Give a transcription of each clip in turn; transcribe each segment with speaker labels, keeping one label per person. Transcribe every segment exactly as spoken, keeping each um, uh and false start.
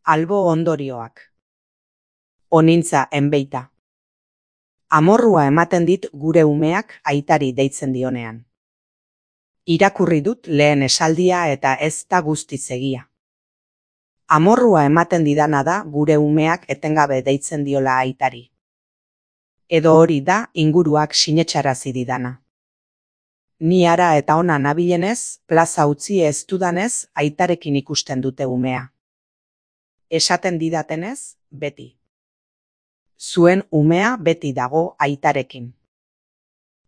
Speaker 1: Albo ondorioak. Onintza enbeita. Amorrua ematen dit gure umeak aitari deitzen dionean. Irakurri dut lehen esaldia eta ez da guztiz egia. Amorrua ematen didana da gure umeak etengabe deitzen diola aitari. Edo hori da inguruak sinetxarazi didana. Ni ara eta ona nabilenez, plaza utzi ez dudanez, aitarekin ikusten dute umea. Esaten didatenez, beti. Zuen umea beti dago aitarekin.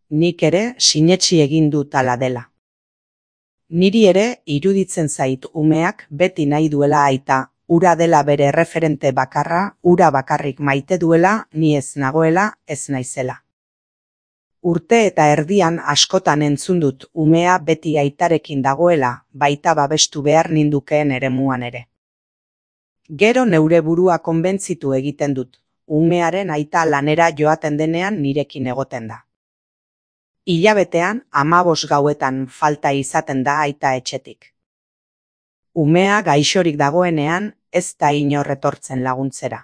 Speaker 1: Nik ere sinetsi egin dut hala dela. Niri ere iruditzen zait umeak beti nahi duela aita, ura dela bere referente bakarra, ura bakarrik maite duela, ni ez nagoela, ez naizela. Urte eta erdian askotan entzun dut umea beti aitarekin dagoela, baita babestu behar nindukeen eremuan ere. Gero neure burua konbentzitu egiten dut, umearen aita lanera joaten denean nirekin egoten da. Hilabetean hamabos gauetan falta izaten da aita etxetik. Umea gaixorik dagoenean ez da inor etortzen laguntzera.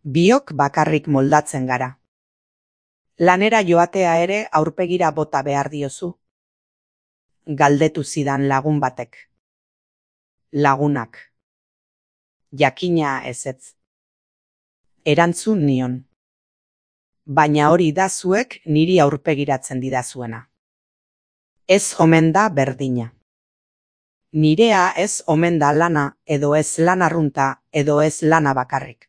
Speaker 1: Biok bakarrik moldatzen gara. Lanera joatea ere aurpegira bota behar diozu. Galdetu zidan lagun batek. Lagunak. Jakina ezetz. Erantzun nion. Baina hori da zuek niri aurpegiratzen didazuena. Ez omen da berdina. Nirea ez omen da lana, edo ez lan arrunta, edo ez lana bakarrik.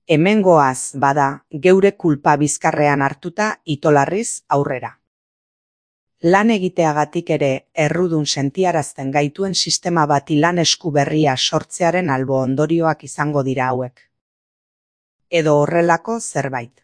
Speaker 1: Hemengoaz bada, geure kulpa bizkarrean hartuta itolarriz aurrera. Lan egiteagatik ere errudun sentiarazten gaituen sistema bati lan esku berria sortzearen albo ondorioak izango dira hauek. Edo horrelako zerbait.